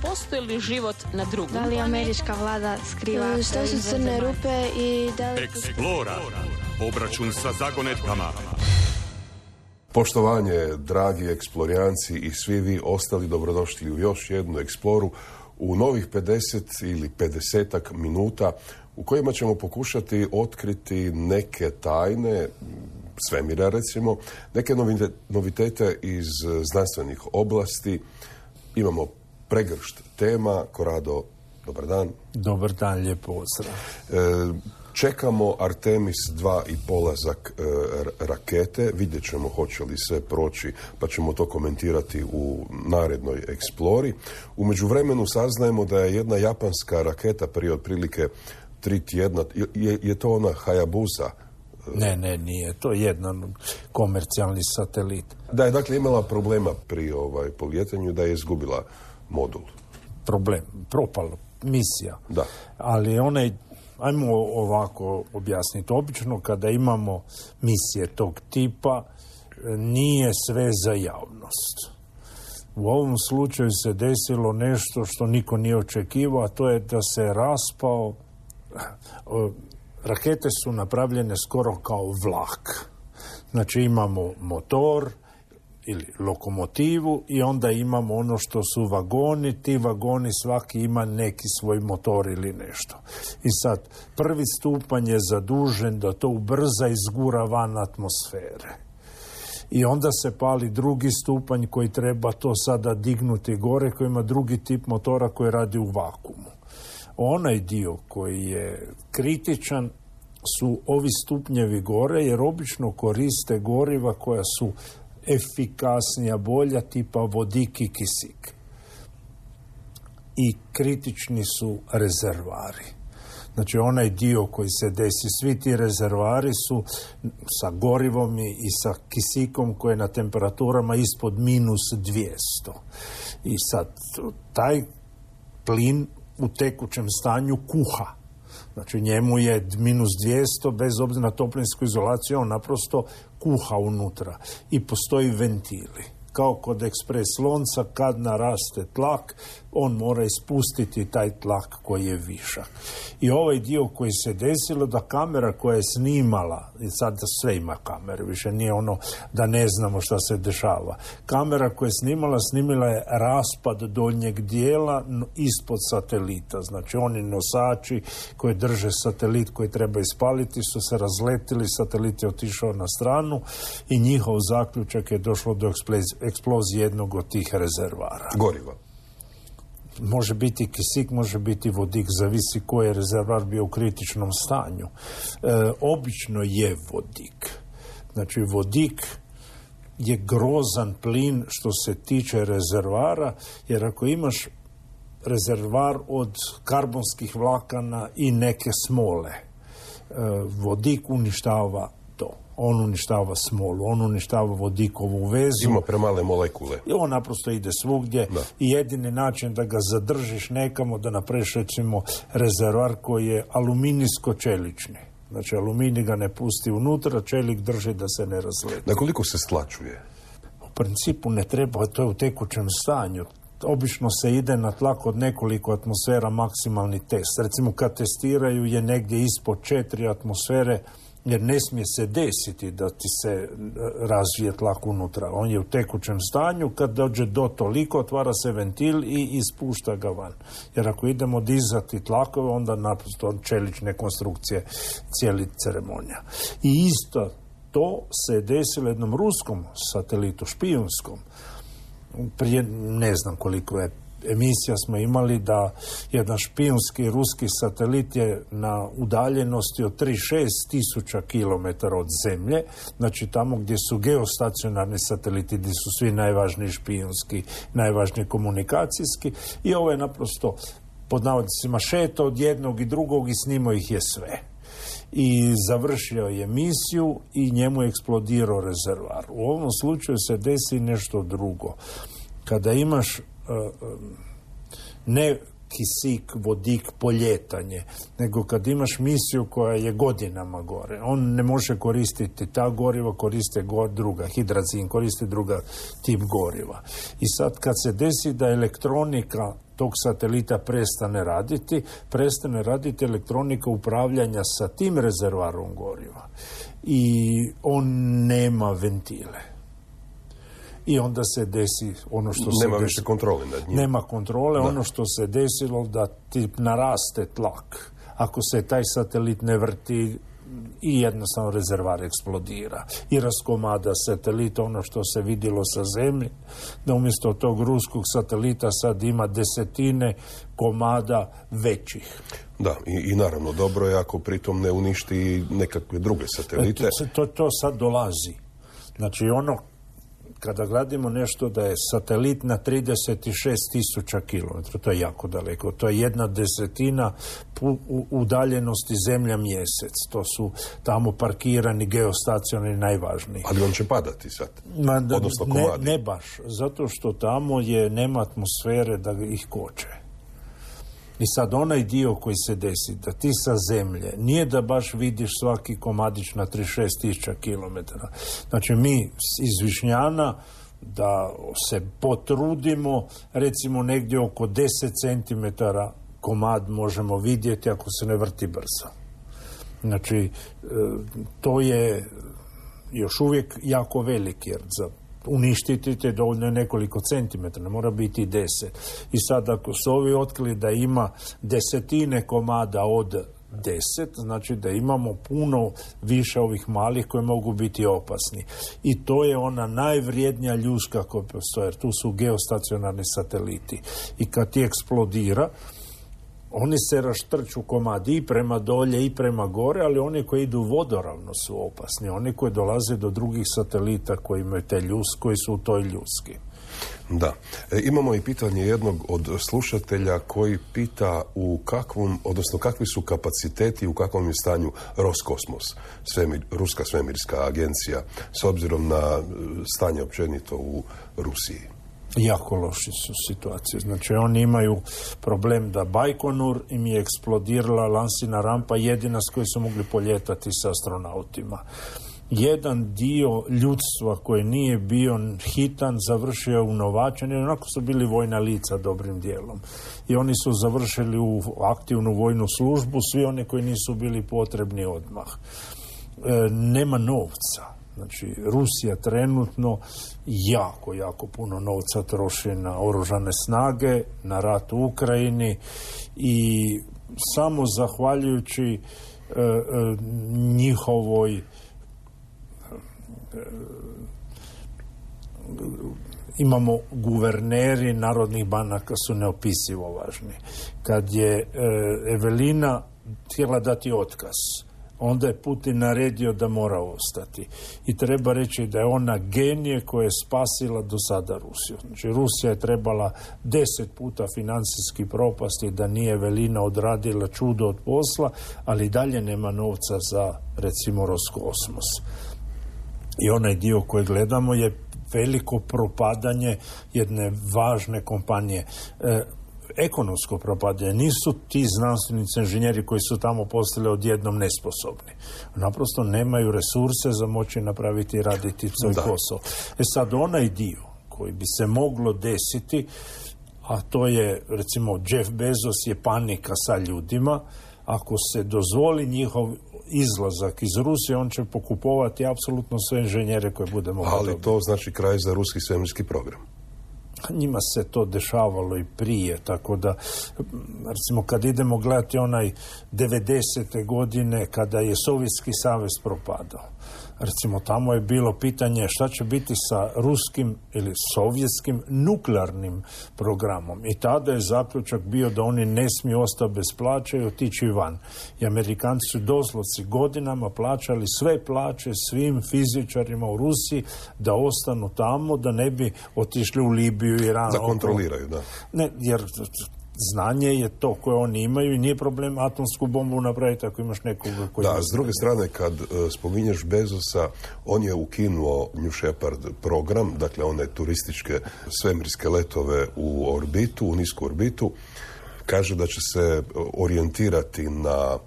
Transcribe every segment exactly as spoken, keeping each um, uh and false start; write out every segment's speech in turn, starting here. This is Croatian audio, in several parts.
postoji li život na drugom. Da li američka vlada skriva... Što su crne rupe i da li... Eksplora. Obračun sa zagonetkama. Poštovanje, dragi eksplorijanci i svi vi ostali, dobrodošli u još jednu eksploru u novih pedeset ili pedesetak minuta u kojima ćemo pokušati otkriti neke tajne svemira, recimo, neke novitete iz znanstvenih oblasti. Imamo pregršt tema. Korado, dobar dan. Dobar dan, lijep pozdrav. E, čekamo Artemis dva i polazak e, rakete. Vidjet ćemo hoće li sve proći, pa ćemo to komentirati u narednoj eksplori. U međuvremenu saznajemo da je jedna japanska raketa prije otprilike tri tjedna, je, je to ona Hayabusa? Ne, ne, nije. To je jedan komercijalni satelit. Da je dakle imala problema pri ovaj, polijetanju, da je izgubila modul. Problem, propala misija. Da. Ali onaj, ajmo ovako objasniti. Obično kada imamo misije tog tipa, nije sve za javnost. U ovom slučaju se desilo nešto što niko nije očekivao, a to je da se raspao. Rakete su napravljene skoro kao vlak. Znači imamo motor ili lokomotivu i onda imamo ono što su vagoni. Ti vagoni svaki ima neki svoj motor ili nešto. I sad prvi stupanj je zadužen da to ubrza i izgura van atmosfere. I onda se pali drugi stupanj koji treba to sada dignuti gore, koji ima drugi tip motora koji radi u vakuumu. Onaj dio koji je kritičan su ovi stupnjevi gore, jer obično koriste goriva koja su efikasnija, bolja, tipa vodik i kisik. I kritični su rezervari. Znači onaj dio koji se desi, svi ti rezervari su sa gorivom i sa kisikom koje je na temperaturama ispod minus dvjesto. I sad taj plin u tekućem stanju kuha. Znači njemu je minus dvjesto, bez obzira na toplinsku izolaciju, on naprosto kuha unutra. I postoji ventili. Kao kod ekspres lonca, kad naraste tlak, on mora ispustiti taj tlak koji je višak. I ovaj dio koji se desilo, da kamera koja je snimala, i sad sve ima kamere, više nije ono da ne znamo šta se dešava. Kamera koja je snimala, snimila je raspad donjeg dijela ispod satelita. Znači oni nosači koji drže satelit koji treba ispaliti su se razletili, satelit je otišao na stranu i njihov zaključak je došlo do eksplozije jednog od tih rezervara. Goriva. Može biti kisik, može biti vodik, zavisi koji je rezervar bio u kritičnom stanju. E, obično je vodik. Znači vodik je grozan plin što se tiče rezervara, jer ako imaš rezervar od karbonskih vlakana i neke smole, e, vodik uništava to. On uništava smolu, on uništava vodikovu vezu. Ima premale molekule. I on naprosto ide svugdje. Da. I jedini način da ga zadržiš nekamo, da napraviš recimo rezervar koji je aluminijsko-čelični. Znači aluminij ga ne pusti unutra, čelik drži da se ne razleti. Na koliko se stlačuje? U principu ne treba, to je u tekućem stanju. Obično se ide na tlak od nekoliko atmosfera, maksimalni test. Recimo kad testiraju je negdje ispod četiri atmosfere, jer ne smije se desiti da ti se razvije tlak unutra. On je u tekućem stanju, kad dođe do toliko, otvara se ventil i ispušta ga van. Jer ako idemo dizati tlakove, onda naprosto čelične konstrukcije, cijeli ceremonija. I isto to se desilo jednom ruskom satelitu, špijunskom. Prije ne znam koliko je emisija smo imali da jedan špijunski ruski satelit je na udaljenosti od trideset šest tisuća kilometara od Zemlje, znači tamo gdje su geostacionarni sateliti, gdje su svi najvažniji špijunski, najvažniji komunikacijski, i ovo je naprosto pod navodnicima šeta od jednog i drugog i snimao ih je sve. I završio je misiju i njemu je eksplodirao rezervar. U ovom slučaju se desi nešto drugo. Kada imaš uh, ne kisik, vodik, poljetanje, nego kad imaš misiju koja je godinama gore. On ne može koristiti ta goriva, koriste go, druga, hidrazin, koriste druga tip goriva. I sad kad se desi da elektronika tog satelita prestane raditi, prestane raditi elektronika upravljanja sa tim rezervarom goriva. I on nema ventile. I onda se desi ono što se Nema desi. više kontrole nad njim. Nema kontrole, da. Ono što se desilo da ti naraste tlak. Ako se taj satelit ne vrti i jednostavno rezervar eksplodira. I raskomada satelita, ono što se vidjelo sa Zemlje, da umjesto tog ruskog satelita sad ima desetine komada većih. Da, i, i naravno dobro je ako pritom ne uništi nekakve druge satelite. E, to, to, to sad dolazi. Znači ono, kada gledamo nešto da je satelit na trideset šest tisuća kilometara, to je jako daleko, to je jedna desetina u udaljenosti Zemlja mjesec, to su tamo parkirani geostacionari najvažniji. Ali on će padati sad, Ma, da, odnosno ne, komadi. ne baš, zato što tamo je nema atmosfere da ih koče. I sad onaj dio koji se desi, da ti sa Zemlje, nije da baš vidiš svaki komadić na trideset šest tisuća kilometara. Znači mi iz Višnjana da se potrudimo, recimo negdje oko deset centimetara komad možemo vidjeti ako se ne vrti brzo. Znači to je još uvijek jako veliki, jer za uništiti te dovoljno je nekoliko centimetara, ne mora biti deset. I sad ako su ovi otkrili da ima desetine komada od deset, znači da imamo puno više ovih malih koji mogu biti opasni. I to je ona najvrijednija ljuska koja postoje, jer tu su geostacionarni sateliti. I kad ti eksplodira, oni se raštrču komadi i prema dolje i prema gore, ali oni koji idu vodoravno su opasni. Oni koji dolaze do drugih satelita koji imaju te ljus, koji su u toj ljuski. Da. E, imamo i pitanje jednog od slušatelja koji pita u kakvom, odnosno kakvi su kapaciteti, u kakvom je stanju Roskosmos, svemir, ruska svemirska agencija, s obzirom na stanje općenito u Rusiji. Jako loši su situacije. Znači oni imaju problem da Bajkonur im je eksplodirala lansina rampa jedina s kojoj su mogli poljetati sa astronautima. Jedan dio ljudstva koji nije bio hitan završio u novačenju, onako su bili vojna lica dobrim dijelom. I oni su završili u aktivnu vojnu službu, svi oni koji nisu bili potrebni odmah. E, nema novca. Znači, Rusija trenutno jako, jako puno novca troši na oružane snage, na rat u Ukrajini i samo zahvaljujući e, e, njihovoj e, imamo guverneri narodnih banaka su neopisivo važni. Kad je e, Evelina htjela dati otkaz, onda je Putin naredio da mora ostati. I treba reći da je ona genije koja je spasila do sada Rusiju. Znači, Rusija je trebala deset puta financijski propasti da nije Evelina odradila čudo od posla, ali dalje nema novca za, recimo, Roskosmos. I onaj dio koji gledamo je veliko propadanje jedne važne kompanije. E, ekonomsko propadanje. Nisu ti znanstvenici, inženjeri koji su tamo postali odjednom nesposobni. Naprosto nemaju resurse za moći napraviti i raditi svoj posao. E sad, onaj dio koji bi se moglo desiti, a to je, recimo, Jeff Bezos je panika sa ljudima, ako se dozvoli njihov izlazak iz Rusije, on će pokupovati apsolutno sve inženjere koje bude moglo Ali dobiti. to znači kraj za ruski svemirski program. Njima se to dešavalo i prije, tako da, recimo, kad idemo gledati onaj devedesete godine kada je Sovjetski savez propadao, recimo, tamo je bilo pitanje šta će biti sa ruskim ili sovjetskim nuklearnim programom. I tada je zaključak bio da oni ne smiju ostati bez plaće i otići van. I Amerikanci su doslovci godinama plaćali sve plaće svim fizičarima u Rusiji da ostanu tamo, da ne bi otišli u Libiju i Iran. Da kontroliraju, da. Ne, jer znanje je to koje oni imaju i nije problem atomsku bombu napraviti ako imaš nekoga koji... Da, s druge strane, kad uh, spominješ Bezosa, on je ukinuo New Shepard program, dakle one turističke svemirske letove u orbitu, u nisku orbitu, Kaže da će se orijentirati na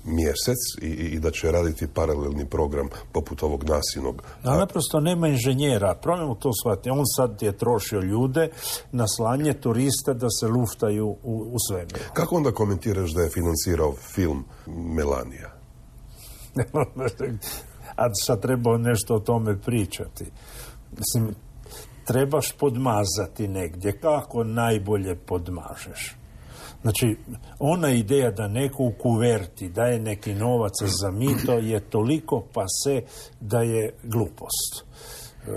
mjesec i, i da će raditi paralelni program poput ovog nasilnog. A naprosto nema inženjera. Problem to shvati. On sad je trošio ljude na slanje turista da se luftaju u, u svemiru. Kako onda komentiraš da je financirao film Melanija? A sad treba nešto o tome pričati. Mislim, trebaš podmazati negdje. Kako najbolje podmažeš? Znači, ona ideja da neko u kuverti daje neki novac za mito je toliko pase da je glupost. E,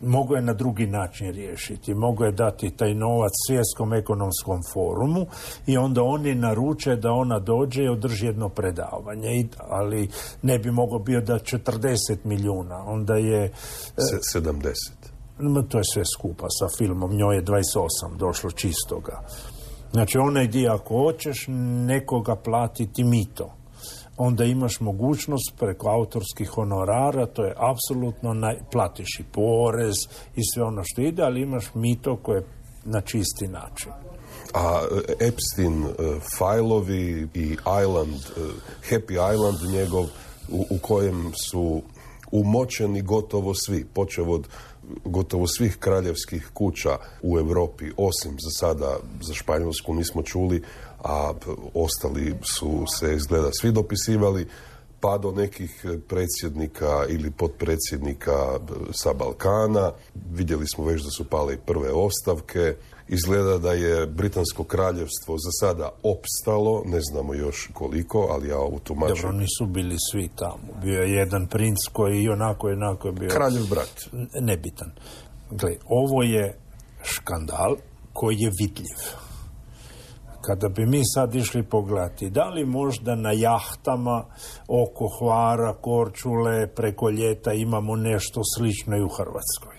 mogu je na drugi način riješiti. Mogu je dati taj novac Svjetskom ekonomskom forumu i onda oni naruče da ona dođe i održi jedno predavanje. I, ali ne bi mogao bio da četrdeset milijuna. Onda je... E, sedamdeset. To je sve skupa sa filmom. Njoj je dvadeset osam došlo čistoga. Znači, onaj dio, ako hoćeš nekoga platiti mito, onda imaš mogućnost preko autorskih honorara, to je apsolutno, naj... platiš i porez i sve ono što ide, ali imaš mito koje je na čisti način. A Epstein uh, fajlovi i Island, uh, Happy Island njegov, u, u kojem su umočeni gotovo svi, počev od gotovo svih kraljevskih kuća u Europi, osim za sada, za Španjolsku nismo čuli, a ostali su se izgleda svi dopisivali, pa do nekih predsjednika ili potpredsjednika sa Balkana. Vidjeli smo već da su pale i prve ostavke. Izgleda da je Britansko kraljevstvo za sada opstalo, ne znamo još koliko, ali ja u tumačim... Dobro, nisu bili svi tamo. Bio je jedan princ koji i onako, onako je bio... Kraljev brat. Nebitan. Gle, ovo je škandal koji je vidljiv. Kada bi mi sad išli pogledati, da li možda na jahtama oko Hvara, Korčule, preko ljeta imamo nešto slično i u Hrvatskoj?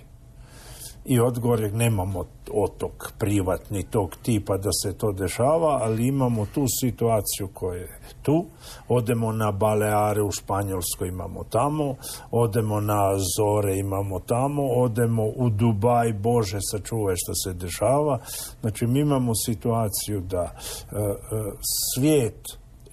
I odgovor je, nemamo otok privatni tog tipa da se to dešava, ali imamo tu situaciju koja je tu. Odemo na Baleare u Španjolskoj, imamo tamo. Odemo na Azore, imamo tamo. Odemo u Dubaj, Bože sačuvaj što se dešava. Znači, mi imamo situaciju da uh, uh, svijet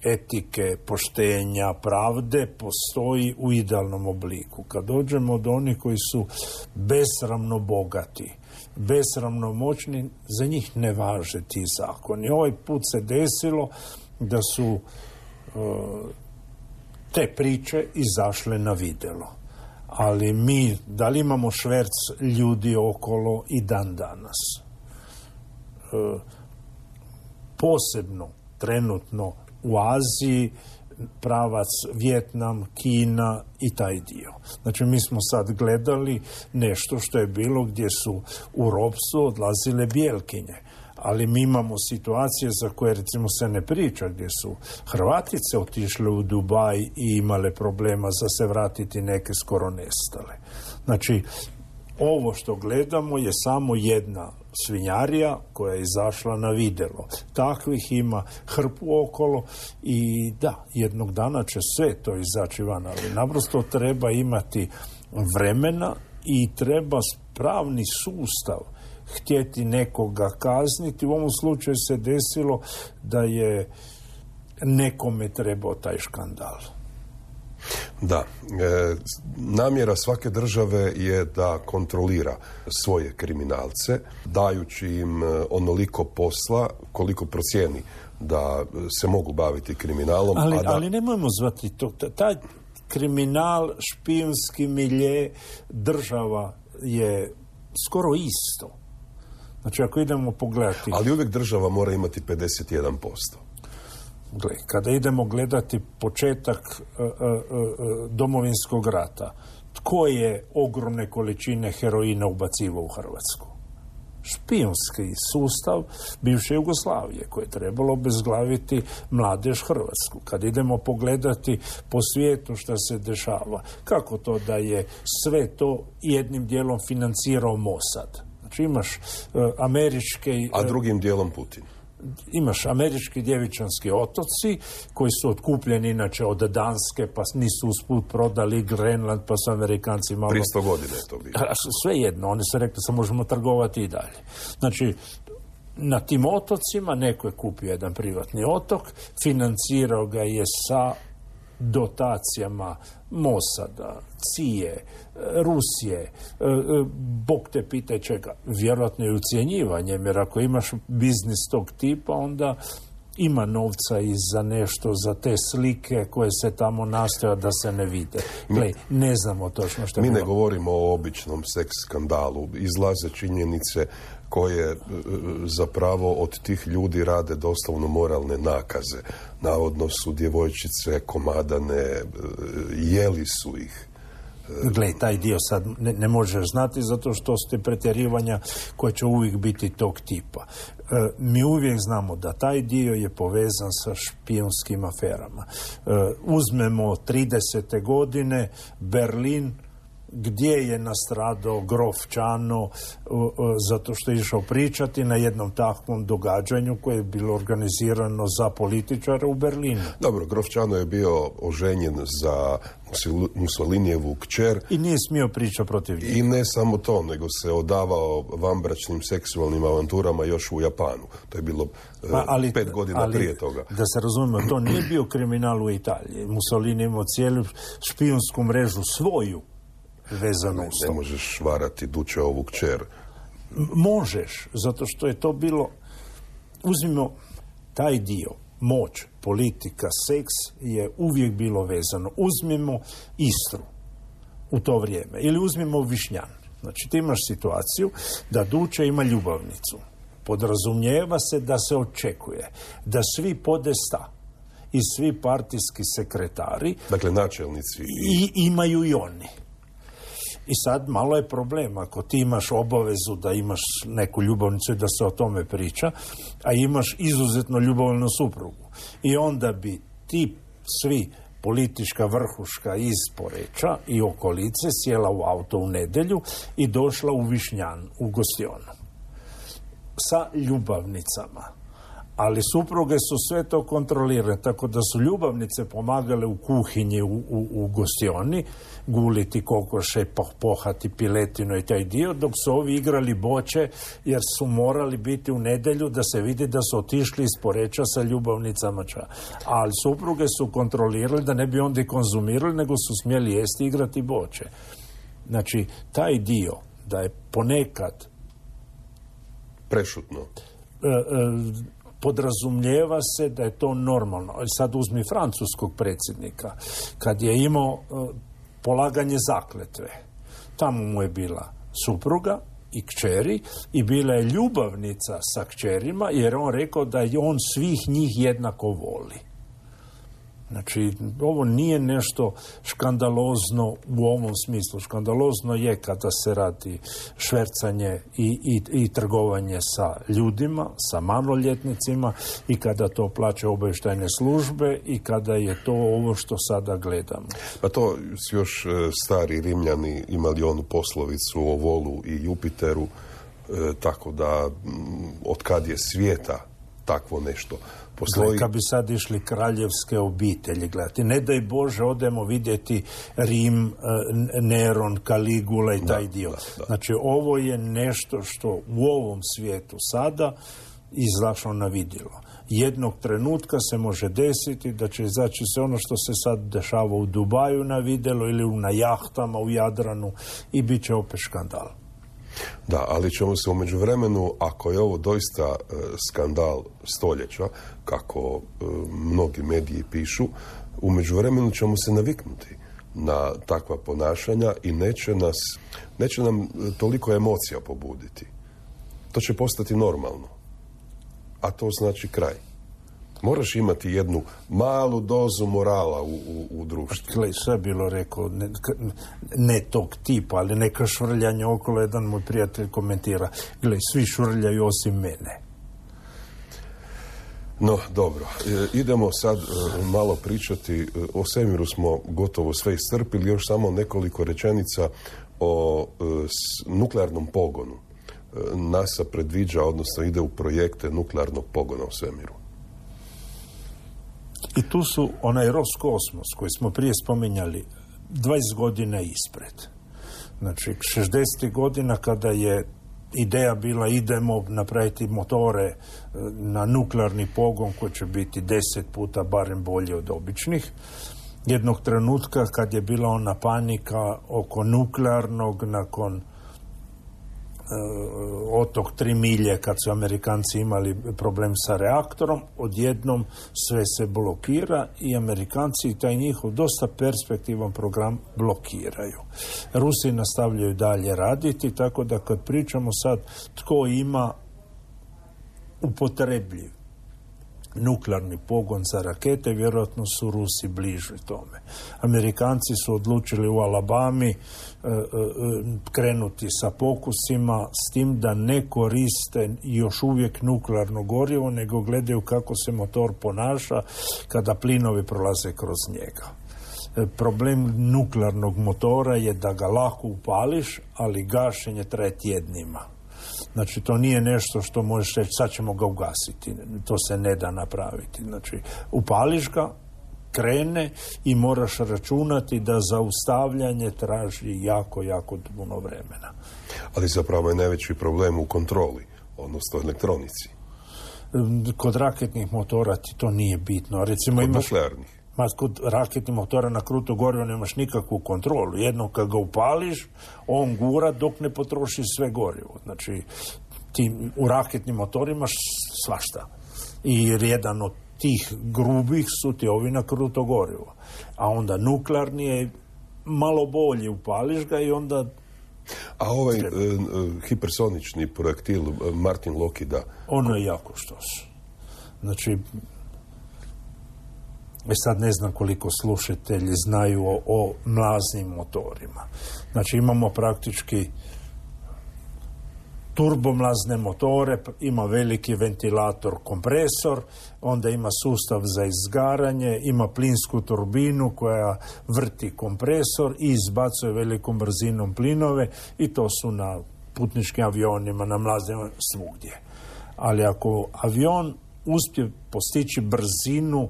etike, poštenja, pravde postoji u idealnom obliku. Kad dođemo do onih koji su besramno bogati, besramno moćni, za njih ne važe ti zakoni. Ovaj put se desilo da su uh, te priče izašle na vidjelo. Ali mi, da li imamo šverc ljudi okolo i dan danas? Uh, posebno, trenutno, u Aziji, pravac Vijetnam, Kina i taj dio. Znači, mi smo sad gledali nešto što je bilo gdje su u ropstvu odlazile bijelkinje. Ali mi imamo situacije za koje, recimo, se ne priča, gdje su Hrvatice otišle u Dubaj i imale problema za se vratiti, neke skoro nestale. Znači, ovo što gledamo je samo jedna svinjarija koja je izašla na vidjelo. Takvih ima hrpu okolo i da, jednog dana će sve to izaći van, ali naprosto treba imati vremena i treba pravni sustav htjeti nekoga kazniti. U ovom slučaju se desilo da je nekome trebao taj škandal. Da, e, namjera svake države je da kontrolira svoje kriminalce, dajući im onoliko posla koliko procijeni da se mogu baviti kriminalom. Ali, a da... ali nemojmo zvati to. Taj kriminal, špijunski milje, država je skoro isto. Znači, ako idemo pogledati... Ali uvijek država mora imati pedeset jedan posto. Gle, kada idemo gledati početak uh, uh, uh, Domovinskog rata, tko je ogromne količine heroina ubacivao u Hrvatsku? Špijunski sustav bivše Jugoslavije, koje je trebalo obezglaviti mladež Hrvatsku. Kad idemo pogledati po svijetu što se dešava, kako to da je sve to jednim dijelom financirao Mossad? Znači, imaš uh, američke... Uh, A drugim dijelom Putin. Imaš američki djevičanski otoci koji su otkupljeni inače od Danske, pa nisu usput prodali Grenland, pa su Amerikanci malo... Prije sto godine je to bilo. Sve jedno, oni su rekli da možemo trgovati i dalje. Znači, na tim otocima neko je kupio jedan privatni otok, financirao ga je sa dotacijama Mosada, Cije, Rusije, Bog te pitaj čega, vjerojatno i ucjenjivanjem, jer ako imaš biznis tog tipa, onda ima novca i za nešto, za te slike koje se tamo nastoja da se ne vide. Gle, ne znamo točno što je Mi bilo. ne govorimo o običnom seks skandalu. Izlaze činjenice koje e, zapravo od tih ljudi rade doslovno moralne nakaze. Navodno su djevojčice komadane, e, jeli su ih. Gle, taj dio sad ne, ne možeš znati zato što ste pretjerivanja koje će uvijek biti tog tipa. E, mi uvijek znamo da taj dio je povezan sa špijunskim aferama. E, uzmemo tridesete godine, Berlin, gdje je nastradao grof Čano uh, uh, zato što je išao pričati na jednom takvom događanju koje je bilo organizirano za političare u Berlinu. Dobro, grof Čano je bio oženjen za Mussolinijevu kćer. I nije smio pričati protiv njega. I ne samo to, nego se odavao vanbračnim seksualnim avanturama još u Japanu. To je bilo uh, pa, ali, pet godina ali, prije toga. Da se razumijemo, to nije bio kriminal u Italiji. Mussolini imao cijelu špijunsku mrežu svoju vezano ne, uz to. ne možeš varati Dučeovu kćer. Možeš, zato što je to bilo, uzmimo taj dio, moć, politika, seks je uvijek bilo vezano. Uzmimo Istru u to vrijeme ili uzmimo Višnjan. Znači ti imaš situaciju da Duče ima ljubavnicu. Podrazumijeva se da se očekuje da svi podesta i svi partijski sekretari, dakle načelnici i imaju i oni. I sad malo je problem, ako ti imaš obavezu da imaš neku ljubavnicu i da se o tome priča, a imaš izuzetno ljubavnu suprugu. I onda bi ti svi politička vrhuška iz Poreča i okolice sjela u auto u nedjelju i došla u Višnjan, u gostionu. Sa ljubavnicama. Ali supruge su sve to kontrolirane, tako da su ljubavnice pomagale u kuhinji u, u, u gostioni, guliti kokoše, pohati piletinu i taj dio, dok su ovi igrali boče, jer su morali biti u nedjelju da se vidi da su otišli iz Poreča sa ljubavnicama ča. Ali supruge su kontrolirali da ne bi onda i konzumirali, nego su smjeli jesti i igrati boče. Znači, taj dio da je ponekad prešutno. E, e, podrazumljeva se da je to normalno. Sad uzmi francuskog predsjednika. Kad je imao uh, polaganje zakletve, tamo mu je bila supruga i kćeri i bila je ljubavnica sa kćerima, jer on rekao da je on svih njih jednako voli. Znači, ovo nije nešto škandalozno u ovom smislu. Škandalozno je kada se radi švercanje i, i, i trgovanje sa ljudima, sa maloljetnicima i kada to plaća obavještajne službe i kada je to ovo što sada gledamo. Pa to su još stari Rimljani imali onu poslovicu o Volu i Jupiteru, e, tako da od kad je svijeta takvo nešto postoji. Kad bi sad išli kraljevske obitelji gledati, ne daj Bože odemo vidjeti Rim, Neron, Kaligula i taj da, dio. Da, da. Znači ovo je nešto što u ovom svijetu sada izašlo na vidjelo. Jednog trenutka se može desiti da će izaći se ono što se sad dešava u Dubaju na vidjelo ili na jahtama u Jadranu i bit će opet škandal. Da, ali ćemo se u međuvremenu, ako je ovo doista e, skandal stoljeća, kako e, mnogi mediji pišu, u međuvremenu ćemo se naviknuti na takva ponašanja i neće nas, neće nam toliko emocija pobuditi. To će postati normalno. A to znači kraj. Moraš imati jednu malu dozu morala u, u, u društvu. Gle, sve bilo rekao, ne, ne tog tipa, ali neka švrljanja okolo, jedan moj prijatelj komentira, gle, svi švrljaju osim mene. No, dobro. E, idemo sad e, malo pričati, e, o svemiru smo gotovo sve iscrpili, još samo nekoliko rečenica o e, s, nuklearnom pogonu. E, NASA predviđa, odnosno ide u projekte nuklearnog pogona u svemiru. I tu su onaj Roskosmos koji smo prije spominjali dvadeset godina ispred. Znači, šezdesetih godina kada je ideja bila idemo napraviti motore na nuklearni pogon koji će biti deset puta barem bolji od običnih. Jednog trenutka kad je bila ona panika oko nuklearnog nakon otok tri milje kad su Amerikanci imali problem sa reaktorom, odjednom sve se blokira i Amerikanci i taj njihov dosta perspektivan program blokiraju. Rusi nastavljaju dalje raditi, tako da kad pričamo sad tko ima upotrebljiv nuklearni pogon za rakete, vjerojatno su Rusi bliži tome. Amerikanci su odlučili u Alabami e, e, krenuti sa pokusima s tim da ne koriste još uvijek nuklearno gorivo, nego gledaju kako se motor ponaša kada plinovi prolaze kroz njega. E, problem nuklearnog motora je da ga lako upališ, ali gašenje traje tjednima. Znači, to nije nešto što možeš reći, sad ćemo ga ugasiti. To se ne da napraviti. Znači, upališ ga, krene i moraš računati da zaustavljanje traži jako, jako puno vremena. Ali zapravo je najveći problem u kontroli, odnosno elektronici. Kod raketnih motora ti to nije bitno. Recimo, kod imaš... nuklearnih? Ma, kod raketnih motora na kruto gorivo nemaš nikakvu kontrolu. Jednom kad ga upališ, on gura dok ne potroši sve gorivo. Znači, ti u raketnim motorima imaš svašta. I jedan od tih grubih su ti ovi na kruto gorivo. A onda nuklearni je malo bolje, upališ ga i onda... A ovaj e, hipersonični projektil Martin Lockheeda... Ono je jako štos. Znači... E sad ne znam koliko slušatelji znaju o, o mlaznim motorima. Znači imamo praktički turbomlazne motore, ima veliki ventilator, kompresor, onda ima sustav za izgaranje, ima plinsku turbinu koja vrti kompresor i izbacuje velikom brzinom plinove i to su na putničkim avionima, na mlaznim svugdje. Ali ako avion uspije postići brzinu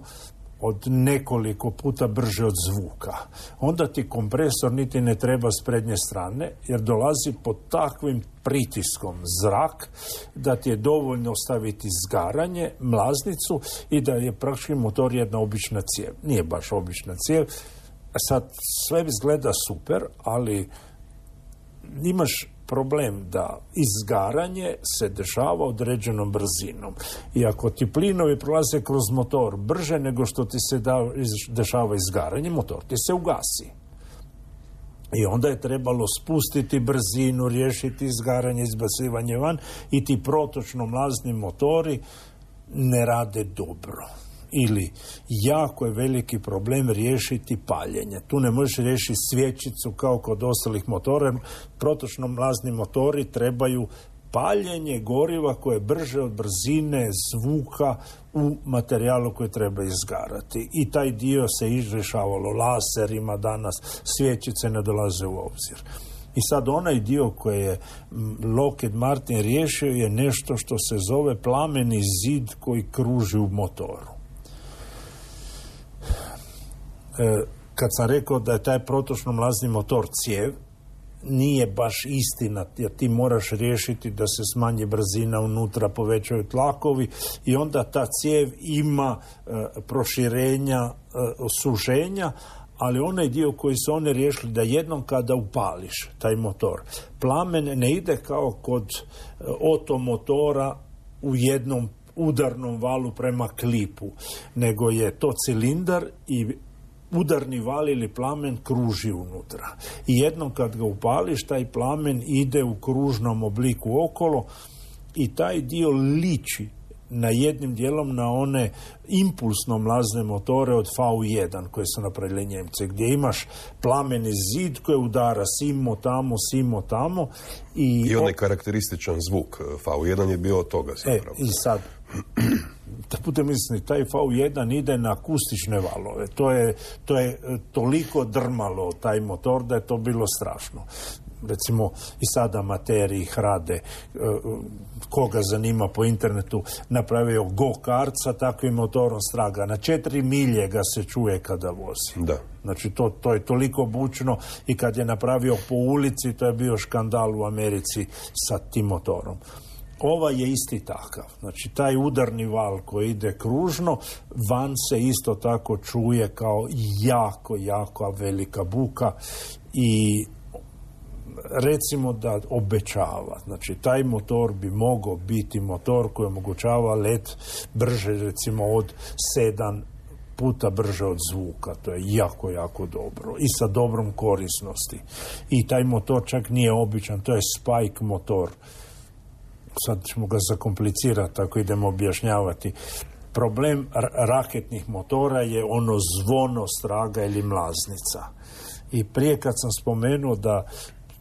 od nekoliko puta brže od zvuka, onda ti kompresor niti ne treba s prednje strane, jer dolazi pod takvim pritiskom zrak da ti je dovoljno staviti izgaranje, mlaznicu i da je praktički motor jedna obična cijev. Nije baš obična cijev. Sad sve izgleda super, ali imaš problem da izgaranje se dešava određenom brzinom. I ako ti plinovi prolaze kroz motor brže nego što ti se da, dešava izgaranje, motor ti se ugasi. I onda je trebalo spustiti brzinu, riješiti izgaranje, izbacivanje van i ti protočno mlazni motori ne rade dobro. Ili jako je veliki problem riješiti paljenje. Tu ne možeš riješiti svječicu kao kod ostalih motora. Protočno mlazni motori trebaju paljenje goriva koje je brže od brzine zvuka u materijalu koji treba izgarati. I taj dio se izrješavalo laserima danas, svječice ne dolaze u obzir. I sad onaj dio koji je Lockheed Martin riješio je nešto što se zove plameni zid koji kruži u motoru. Kad sam rekao da je taj protočno mlazni motor cijev, nije baš istina, jer ti moraš riješiti da se smanji brzina unutra, povećaju tlakovi i onda ta cijev ima e, proširenja, e, suženja, ali onaj dio koji su oni riješili da jednom kada upališ taj motor, plamen ne ide kao kod e, otomotora u jednom udarnom valu prema klipu, nego je to cilindar i udarni val ili plamen kruži unutra. I jednom kad ga upališ, taj plamen ide u kružnom obliku okolo i taj dio liči na jednim dijelom na one impulsno mlazne motore od V jedan koje su napravili Njemci, gdje imaš plameni zid koji udara simo tamo, simo tamo. I, I onaj karakterističan zvuk V jedan je bio od toga zapravo. E, i sad, da budem misliti, taj V jedan ide na akustične valove. To je, to je toliko drmalo taj motor da je to bilo strašno. recimo i sada amateri ih rade, koga zanima po internetu, napravio go-kart sa takvim motorom straga. Na četiri milje ga se čuje kada vozi. Da. Znači to, to je toliko bučno i kad je napravio po ulici, to je bio škandal u Americi sa tim motorom. Ova je isti takav. Znači, taj udarni val koji ide kružno, van se isto tako čuje kao jako, jako velika buka i recimo da obećava. Znači, taj motor bi mogao biti motor koji omogućava let brže, recimo, od sedam puta brže od zvuka. To je jako, jako dobro. I sa dobrom korisnosti. I taj motor čak nije običan, to je Spike motor. Sad ćemo ga zakomplicirati ako idemo objašnjavati. Problem raketnih motora je ono zvono straga ili mlaznica. I prije kad sam spomenuo da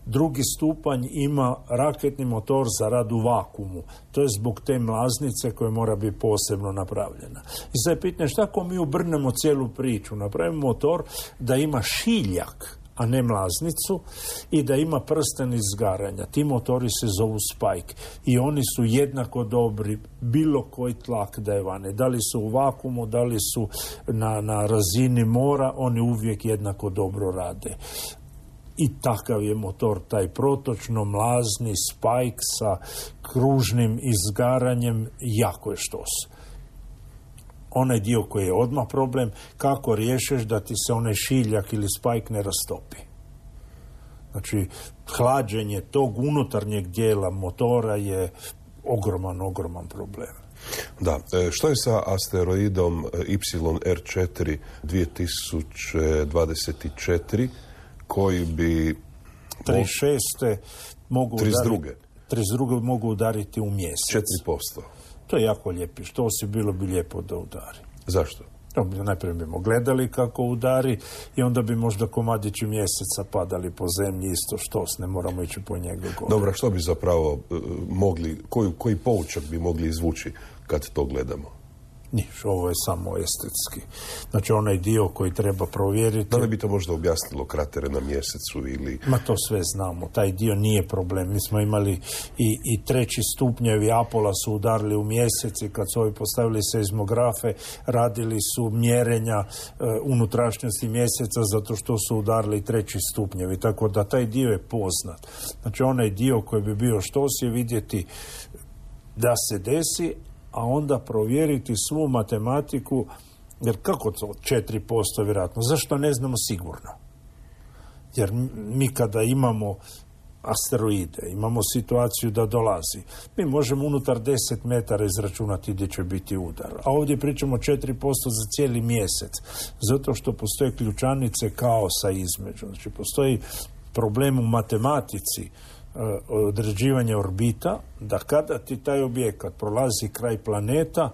drugi stupanj ima raketni motor za rad u vakuumu. To je zbog te mlaznice koja mora biti posebno napravljena. I sad je pitanje šta ako mi obrnemo cijelu priču. Napravimo motor da ima šiljak, a ne mlaznicu, i da ima prsten izgaranja. Ti motori se zovu Spike i oni su jednako dobri bilo koji tlak da je vane. Da li su u vakuumu, da li su na, na razini mora, oni uvijek jednako dobro rade. I takav je motor, taj protočno mlazni Spike sa kružnim izgaranjem, jako je štos. Onaj dio koji je odmah problem, kako riješeš da ti se onaj šiljak ili Spike ne rastopi. Znači, hlađenje tog unutarnjeg dijela motora je ogroman, ogroman problem. Da, što je sa asteroidom Y R četiri dvije tisuće dvadeset četiri koji bi... trideset šeste mogu trideset druge udariti, trideset druge mogu udariti u mjesec. četiri posto. To je jako lijepi. Što si bilo bi lijepo da udari. Zašto? Najprije bimo gledali kako udari i onda bi možda komadići mjeseca padali po zemlji isto štos, ne moramo ići po njega gore. Dobro, što bi zapravo uh, mogli, koji, koji poučak bi mogli izvući kad to gledamo? Niš, ovo je samo estetski. Znači onaj dio koji treba provjeriti... Da li bi to možda objasnilo kratere na mjesecu ili... Ma to sve znamo, taj dio nije problem. Mi smo imali i, i treći stupnjevi Apola su udarili u mjesec i kad su ovi postavili seizmografe, radili su mjerenja e, unutrašnjosti mjeseca zato što su udarili treći stupnjevi. Tako da taj dio je poznat. Znači onaj dio koji bi bio štos je vidjeti da se desi, a onda provjeriti svu matematiku, jer kako to četiri posto vjerojatno? Zašto ne znamo sigurno? Jer mi kada imamo asteroide, imamo situaciju da dolazi, mi možemo unutar deset metara izračunati gdje će biti udar. A ovdje pričamo četiri posto za cijeli mjesec, zato što postoje ključanice kaosa između. Znači postoji problem u matematici određivanja orbita, da kada ti taj objekat prolazi kraj planeta,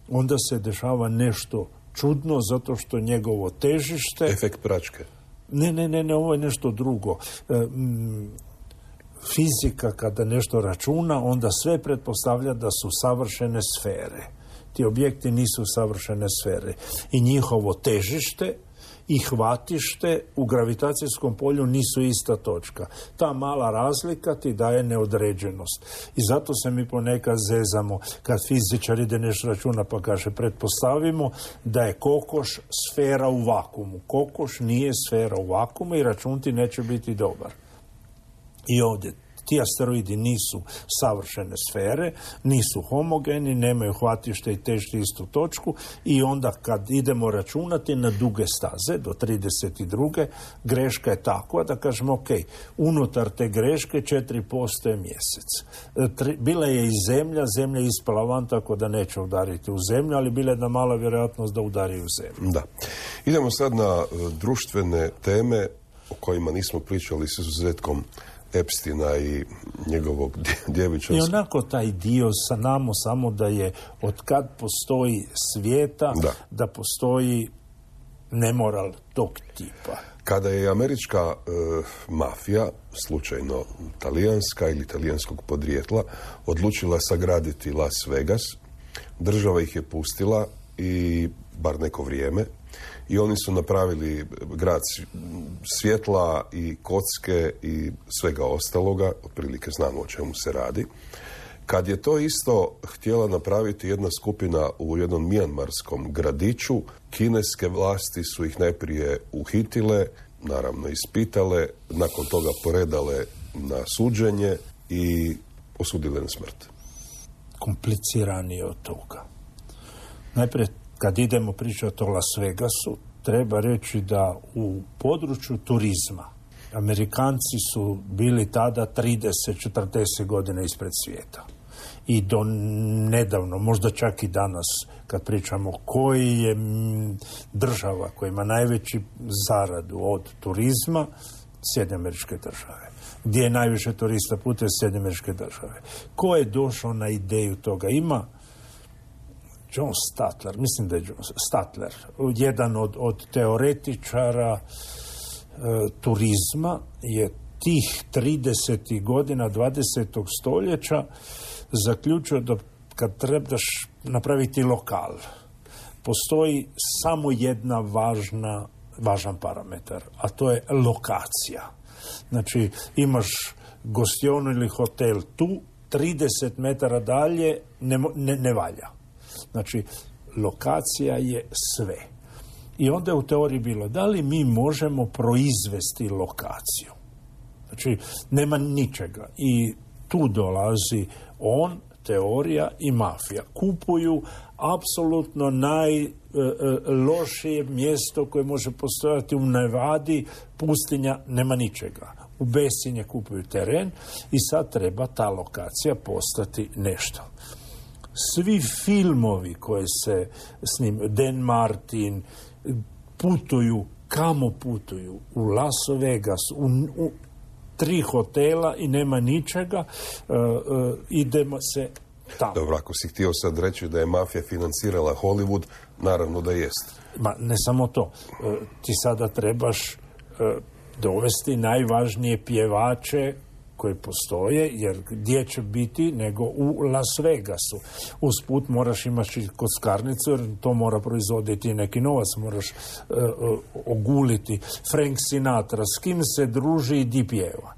onda se dešava nešto čudno, zato što njegovo težište... Efekt pračke. Ne, ne, ne, ne, ovo je nešto drugo. E, m, fizika kada nešto računa, onda sve pretpostavlja da su savršene sfere. Ti objekti nisu savršene sfere. I njihovo težište i hvatište u gravitacijskom polju nisu ista točka. Ta mala razlika ti daje neodređenost. I zato se mi ponekad zezamo kad fizičar ide nešto računa pa kaže pretpostavimo da je kokoš sfera u vakuumu. Kokoš nije sfera u vakuumu i račun ti neće biti dobar. I ovdje ti asteroidi nisu savršene sfere, nisu homogeni, nemaju hvatište i težište istu točku i onda kad idemo računati na duge staze, do trideset druge greška je takva da kažemo ok, unutar te greške četiri posto je mjesec. Bila je i zemlja, zemlja je ispala van tako da neće udariti u zemlju, ali bila je jedna mala vjerojatnost da udari u zemlju. Da. Idemo sad na društvene teme o kojima nismo pričali s izuzetkom Epsteina i njegovog djevičanstva. I onako taj dio sa namo samo da je od kad postoji svijeta, da, da postoji nemoral tog tipa. Kada je američka e, mafija, slučajno talijanska ili talijanskog podrijetla, odlučila sagraditi Las Vegas, država ih je pustila i bar neko vrijeme I oni su napravili grad svjetla i kocke i svega ostaloga, otprilike znamo o čemu se radi. Kad je to isto htjela napraviti jedna skupina u jednom mijanmarskom gradiću, kineske vlasti su ih najprije uhitile, naravno ispitale, nakon toga poredale na suđenje i osudile na smrt. Kompliciranije od toga. Najprije, kad idemo pričati o Las Vegasu, treba reći da u području turizma Amerikanci su bili tada trideset do četrdeset godina ispred svijeta. I do nedavno, možda čak i danas, kad pričamo koji je država koja ima najveći zaradu od turizma, Sjedinjene Američke Države. Gdje je najviše turista putuje Sjedinjene Američke Države. Ko je došao na ideju toga? Ima John Statler, mislim da je John Statler, jedan od, od teoretičara e, turizma, je tih tridesetih godina dvadesetog stoljeća zaključio da kad trebaš napraviti lokal, postoji samo jedna važna, važan parametar, a to je lokacija. Znači, imaš gostionu ili hotel tu, trideset metara dalje ne, ne, ne valja. Znači, lokacija je sve. I onda je u teoriji bilo, da li mi možemo proizvesti lokaciju? Znači, nema ničega. I tu dolazi on, teorija i mafija. Kupuju apsolutno najlošije mjesto koje može postojati u Nevadi, pustinja, nema ničega. U Besinje kupuju teren i sad treba ta lokacija postati nešto. Svi filmovi koji se snim, Dan Martin, putuju, kamo putuju? U Las Vegas, u, u tri hotela i nema ničega, uh, uh, idemo se tamo. Dobro, ako si htio sad reći da je mafija financirala Hollywood, naravno da jest. Ma, ne samo to. Uh, ti sada trebaš uh, dovesti najvažnije pjevače koji postoje, jer gdje će biti nego u Las Vegasu. Usput moraš imati kockarnicu, jer to mora proizvoditi neki novac, moraš uh, uh, oguliti. Frank Sinatra, s kim se druži i di pjeva.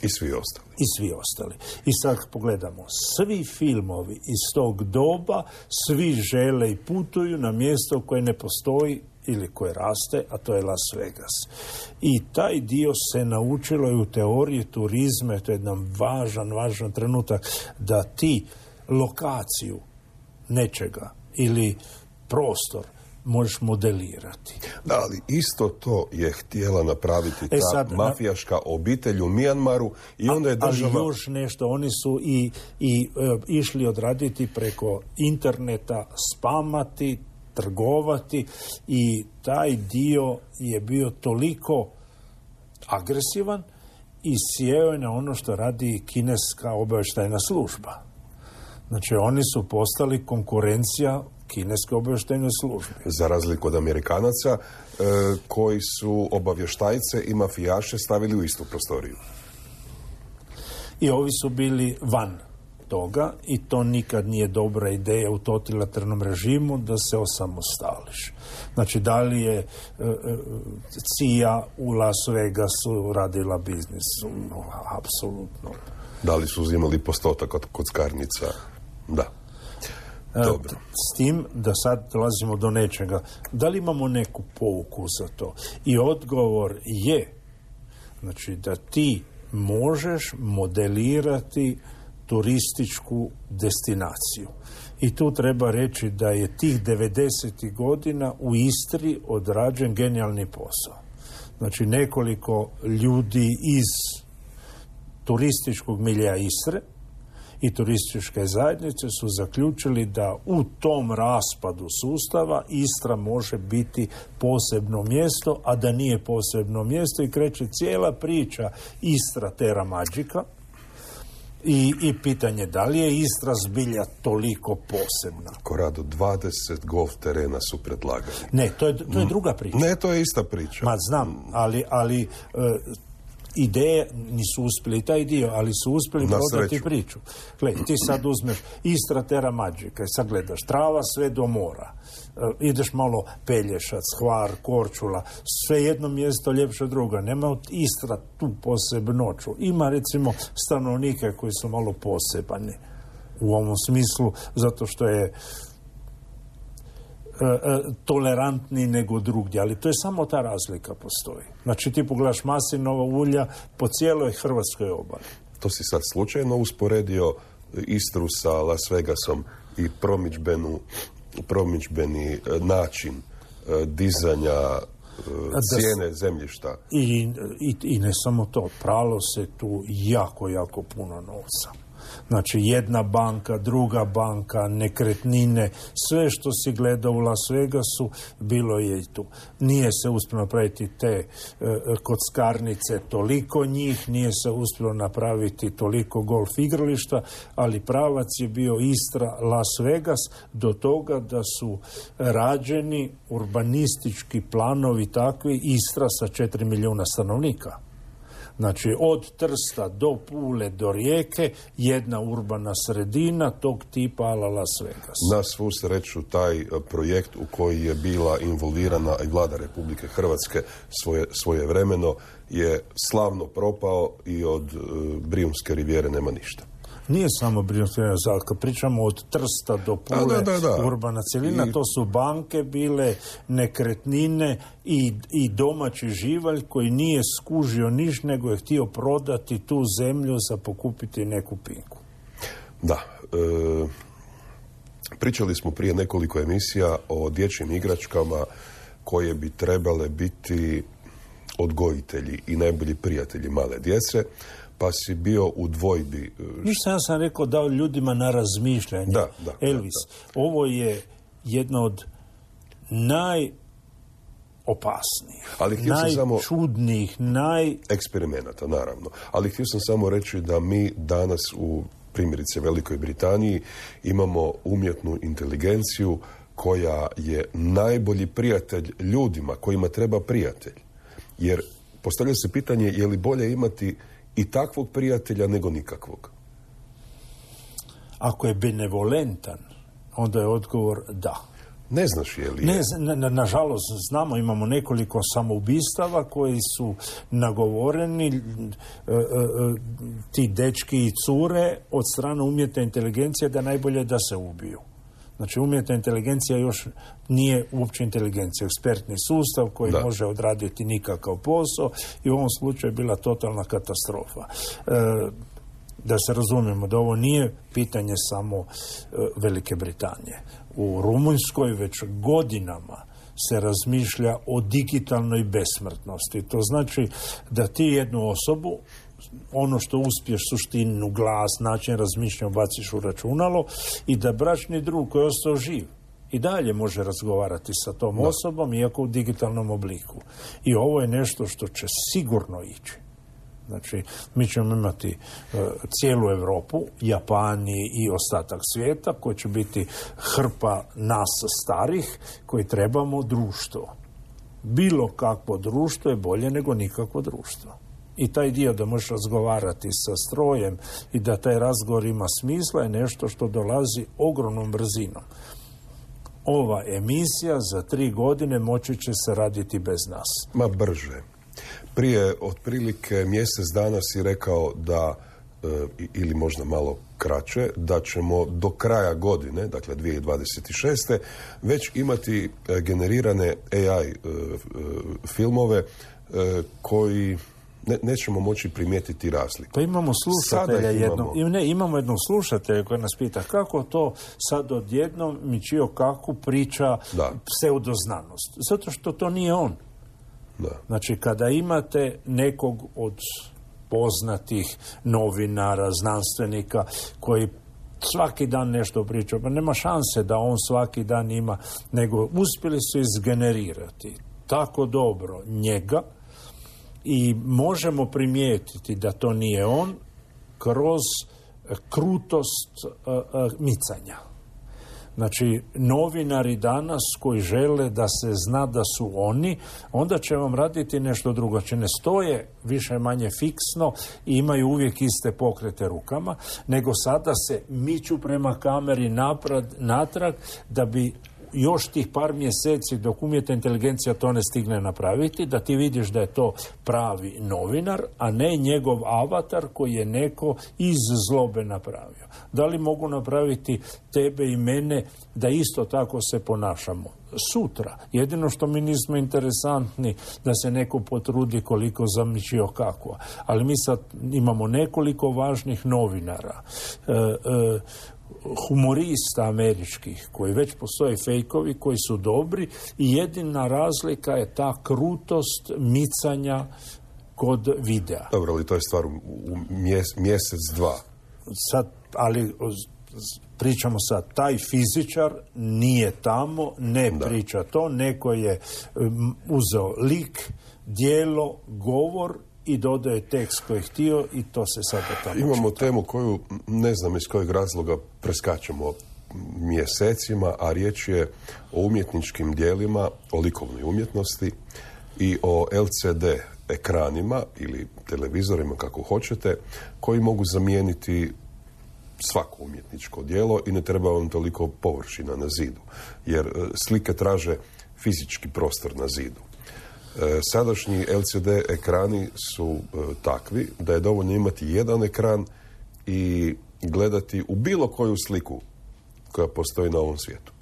I svi ostali. I svi ostali. I sad pogledamo, svi filmovi iz tog doba, svi žele i putuju na mjesto koje ne postoji ili koje raste, a to je Las Vegas. I taj dio se naučilo i u teoriji turizma, to je jedan važan, važan trenutak, da ti lokaciju nečega ili prostor možeš modelirati. Da, ali isto to je htjela napraviti ta e sad, mafijaška obitelj u Mijanmaru i onda je država... Ali još nešto, oni su i, i e, išli odraditi preko interneta, spamati, trgovati i taj dio je bio toliko agresivan i sjeo je na ono što radi kineska obavještajna služba. Znači, oni su postali konkurencija kineske obavještajne službe. Za razliku od Amerikanaca, e, koji su obavještajce i mafijaše stavili u istu prostoriju. I ovi su bili van toga i to nikad nije dobra ideja u totalitarnom režimu da se osamostališ. Znači, da li je e, e, C I A u Las Vegasu radila biznis? No, apsolutno. Da li su uzimali postotak od kockarnica? Da. Dobro. S tim da sad dolazimo do nečega. Da li imamo neku pouku za to? I odgovor je, znači, da ti možeš modelirati turističku destinaciju. I tu treba reći da je tih devedesetih godina u Istri odrađen genijalni posao. Znači, nekoliko ljudi iz turističkog milija Istre i turističke zajednice su zaključili da u tom raspadu sustava Istra može biti posebno mjesto, a da nije posebno mjesto i kreće cijela priča Istra Terra Magica i, i pitanje da li je Istra zbilja toliko posebna. Korado, dvadeset golf terena su predlagali. Ne, to je, to je druga priča. Ne, to je ista priča. Ma znam, ali, ali ideje nisu uspjeli taj dio, ali su uspjeli prodati priču. Gle, ti sad uzmeš Istra Terra Magica i sad gledaš trava sve do mora. Uh, ideš malo Pelješac, Hvar, Korčula, sve jedno mjesto ljepše druga. Nema od Istra tu posebnoću. Ima recimo stanovnike koji su malo posebani u ovom smislu, zato što je tolerantni nego drugdje, ali to je samo ta razlika postoji. Znači ti pogledaš maslinova ulja po cijeloj Hrvatskoj obali. To si sad slučajno usporedio Istru sa Las Vegasom i promidžbenu, promidžbeni način dizanja cijene zemljišta. I, i, I ne samo to, pralo se tu jako, jako puno novca. Znači jedna banka, druga banka, nekretnine, sve što si gledao u Las Vegasu, bilo je i tu. Nije se uspjelo napraviti te e, kockarnice, toliko njih, nije se uspjelo napraviti toliko golf igrališta, ali pravac je bio Istra, Las Vegas, do toga da su rađeni urbanistički planovi takvi, Istra sa četiri milijuna stanovnika. Znači, od Trsta do Pule do Rijeke, jedna urbana sredina tog tipa ala Las Vegas. Na svu sreću, taj projekt u koji je bila involvirana i vlada Republike Hrvatske svoje, svoje vremeno je slavno propao i od uh, Brijunske rivijere nema ništa. Nije samo Brijunska rivijera, kad pričamo od Trsta do Pule, da, da, da. urbana cjelina, I... to su banke bile, nekretnine i, i domaći živalj koji nije skužio niš, nego je htio prodati tu zemlju za pokupiti neku pinku. Da. E, pričali smo prije nekoliko emisija o dječjim igračkama koje bi trebale biti odgojitelji i najbolji prijatelji male djece, pa si bio u dvojbi. Ništa, ja sam rekao dao ljudima na razmišljanje. Da, da, Elvis, da, da. ovo je jedna od najopasnijih, najčudnijih, samo... naj... eksperimenata, naravno. Ali htio sam samo reći da mi danas u primjerice Velikoj Britaniji imamo umjetnu inteligenciju koja je najbolji prijatelj ljudima kojima treba prijatelj. Jer postavlja se pitanje je li bolje imati i takvog prijatelja nego nikakvog. Ako je benevolentan, onda je odgovor da. Ne znaš je li je? Ne, na, nažalost, znamo, imamo nekoliko samoubistava koji su nagovoreni, e, e, ti dečki i cure od strane umjetne inteligencije da najbolje da se ubiju. Znači, umjetna inteligencija još nije uopće inteligencija, ekspertni sustav koji da. može odraditi nikakav posao i u ovom slučaju je bila totalna katastrofa. E, da se razumijemo, da ovo nije pitanje samo e, Velike Britanije. U Rumunjskoj već godinama se razmišlja o digitalnoj besmrtnosti. To znači da ti jednu osobu, ono što uspješ, suštinu, glas, način razmišljanja baciš u računalo i da bračni drug koji je ostao živ i dalje može razgovarati sa tom da. osobom, iako u digitalnom obliku. I ovo je nešto što će sigurno ići. Znači, mi ćemo imati uh, cijelu Europu, Japani i ostatak svijeta, koji će biti hrpa nas starih, koji trebamo društvo. Bilo kakvo društvo je bolje nego nikakvo društvo. I taj dio da možeš razgovarati sa strojem i da taj razgovor ima smisla je nešto što dolazi ogromnom brzinom. Ova emisija za tri godine moći će se raditi bez nas. Ma brže. Prije otprilike mjesec dana si rekao da, e, ili možda malo kraće, da ćemo do kraja godine, dakle dvije tisuće dvadeset šeste već imati e, generirane A I e, filmove e, koji ne, nećemo moći primijetiti razliku. Pa imamo slušatelja jednog, ne, imamo jednog slušatelja koji nas pita kako to sad odjednom Michio Kaku priča da. pseudoznanost. Zato što to nije on. Da. Znači, kada imate nekog od poznatih novinara, znanstvenika koji svaki dan nešto priča, pa nema šanse da on svaki dan ima, nego uspjeli su izgenerirati tako dobro njega i možemo primijetiti da to nije on kroz krutost uh, uh, micanja. Znači, novinari danas koji žele da se zna da su oni, onda će vam raditi nešto drugo. Znači, ne stoje više manje fiksno i imaju uvijek iste pokrete rukama, nego sada se miču prema kameri naprad, natrag da bi još tih par mjeseci dok umjetna inteligencija to ne stigne napraviti, da ti vidiš da je to pravi novinar, a ne njegov avatar koji je neko iz zlobe napravio. Da li mogu napraviti tebe i mene da isto tako se ponašamo? Sutra. Jedino što mi nismo interesantni da se neko potrudi koliko zamičio kako. Ali mi sad imamo nekoliko važnih novinara, e, e, humorista američkih, koji već postoje fejkovi, koji su dobri i jedina razlika je ta krutost micanja kod videa. Dobro, ali to je stvar u mjes, mjesec, dva. Sad, ali pričamo sad, taj fizičar nije tamo, ne da. priča to, neko je um, uzeo lik, djelo, govor i dodaje tekst koji je htio i to se sada tamo Imamo čita. temu koju ne znam iz kojeg razloga preskačemo mjesecima, a riječ je o umjetničkim djelima, o likovnoj umjetnosti i o L C D ekranima ili televizorima, kako hoćete, koji mogu zamijeniti svako umjetničko djelo i ne treba vam toliko površina na zidu, jer slike traže fizički prostor na zidu. Sadašnji L C D ekrani su takvi da je dovoljno imati jedan ekran i gledati u bilo koju sliku koja postoji na ovom svijetu.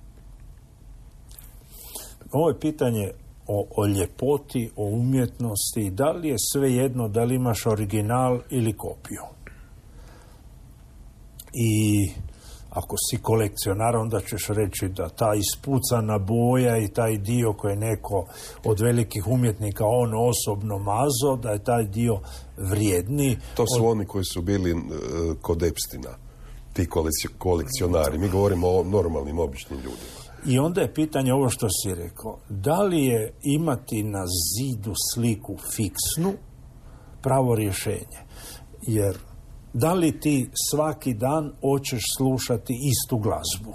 Ovo je pitanje o, o ljepoti, o umjetnosti. Da li je sve jedno da li imaš original ili kopiju? I ako si kolekcionar, onda ćeš reći da ta ispucana boja i taj dio koji je neko od velikih umjetnika on osobno mazo, da je taj dio vrijedni. To su od... oni koji su bili uh, kod Epstina, ti kolekcionari. Mi govorimo o normalnim, običnim ljudima. I onda je pitanje ovo što si rekao. Da li je imati na zidu sliku fiksnu pravo rješenje? Jer da li ti svaki dan hoćeš slušati istu glazbu?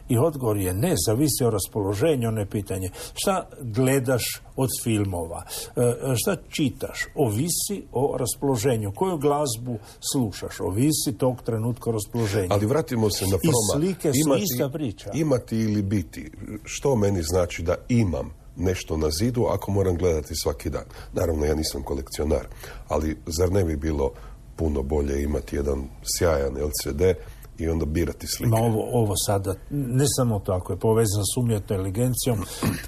I odgovor je ne, zavisi o raspoloženju, ono je pitanje. Šta gledaš od filmova? E, šta čitaš? Ovisi o raspoloženju. Koju glazbu slušaš? Ovisi tog trenutka o raspoloženju. Ali vratimo se na proma. I slike su imati, ista priča. Imati ili biti. Što meni znači da imam nešto na zidu ako moram gledati svaki dan? Naravno, ja nisam kolekcionar, ali zar ne bi bilo puno bolje imati jedan sjajan L C D i onda birati slike? Ma ovo, ovo sada, ne samo tako, je povezano s umjetnom inteligencijom,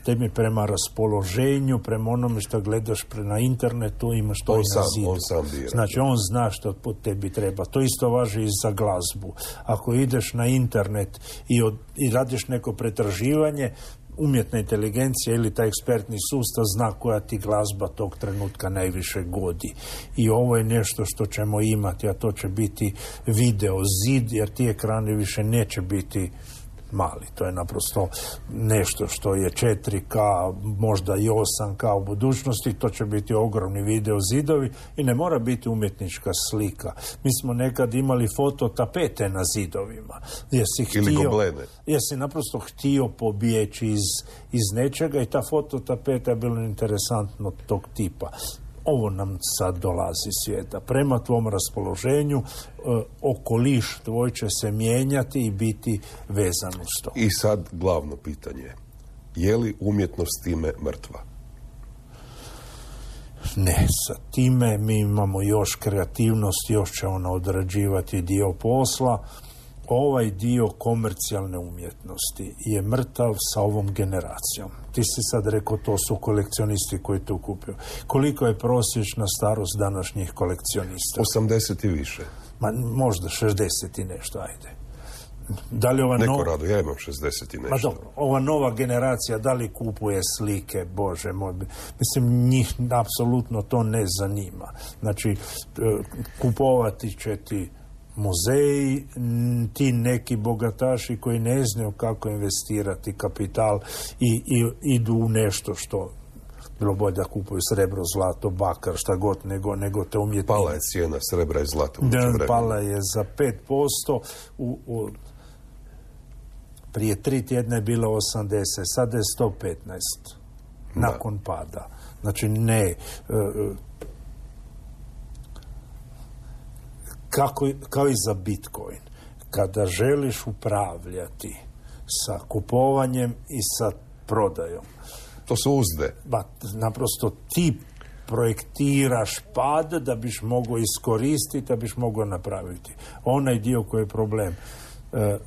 tebi prema raspoloženju, prema onome što gledaš pre na internetu, imaš to on i sam, na zidu. On sam bira. Znači, on zna što po tebi treba. To isto važi i za glazbu. Ako ideš na internet i, od, i radiš neko pretraživanje, umjetna inteligencija ili taj ekspertni sustav zna koja ti glazba tog trenutka najviše godi. I ovo je nešto što ćemo imati, a to će biti video zid, jer ti ekrani više neće biti mali. To je naprosto nešto što je četiri K, možda i osam K u budućnosti, to će biti ogromni video zidovi i ne mora biti umjetnička slika. Mi smo nekad imali fototapete na zidovima. Jesi ili htio, goblene. Jesi naprosto htio pobjeći iz, iz nečega i ta fototapeta je bilo interesantno tog tipa. Ovo nam sad dolazi svijeta. Prema tvom raspoloženju, e, okoliš tvoj će se mijenjati i biti vezan uz to. I sad glavno pitanje. Je li umjetnost time mrtva? Ne, sa time mi imamo još kreativnost, još će ona odrađivati dio posla. Ovaj dio komercijalne umjetnosti je mrtav sa ovom generacijom. Ti si sad rekao, to su kolekcionisti koji to kupuju. Koliko je prosječna starost današnjih kolekcionista? osamdeset i više. Ma, možda šezdeset i nešto, ajde. Da li ova Neko no... rado, ja imam šezdeset i nešto. Ma dobro, ova nova generacija, da li kupuje slike, Bože moj, mislim, njih apsolutno to ne zanima. Znači, kupovati će ti muzeji, ti neki bogataši koji ne znaju kako investirati kapital i, i idu u nešto što bilo bolje da kupuju srebro, zlato, bakar, šta god, nego, nego te umjetnine. Pala je cijena srebra i zlata. Da, pala je za pet posto. U, u, Prije tri tjedna je bilo osamdeset, sada je sto petnaest. Nakon pada. Znači ne... Kako, kao i za Bitcoin. Kada želiš upravljati sa kupovanjem i sa prodajom. To su uzde. Ba, naprosto ti projektiraš pad da biš mogao iskoristiti, da biš mogao napraviti. Onaj dio koji je problem. E,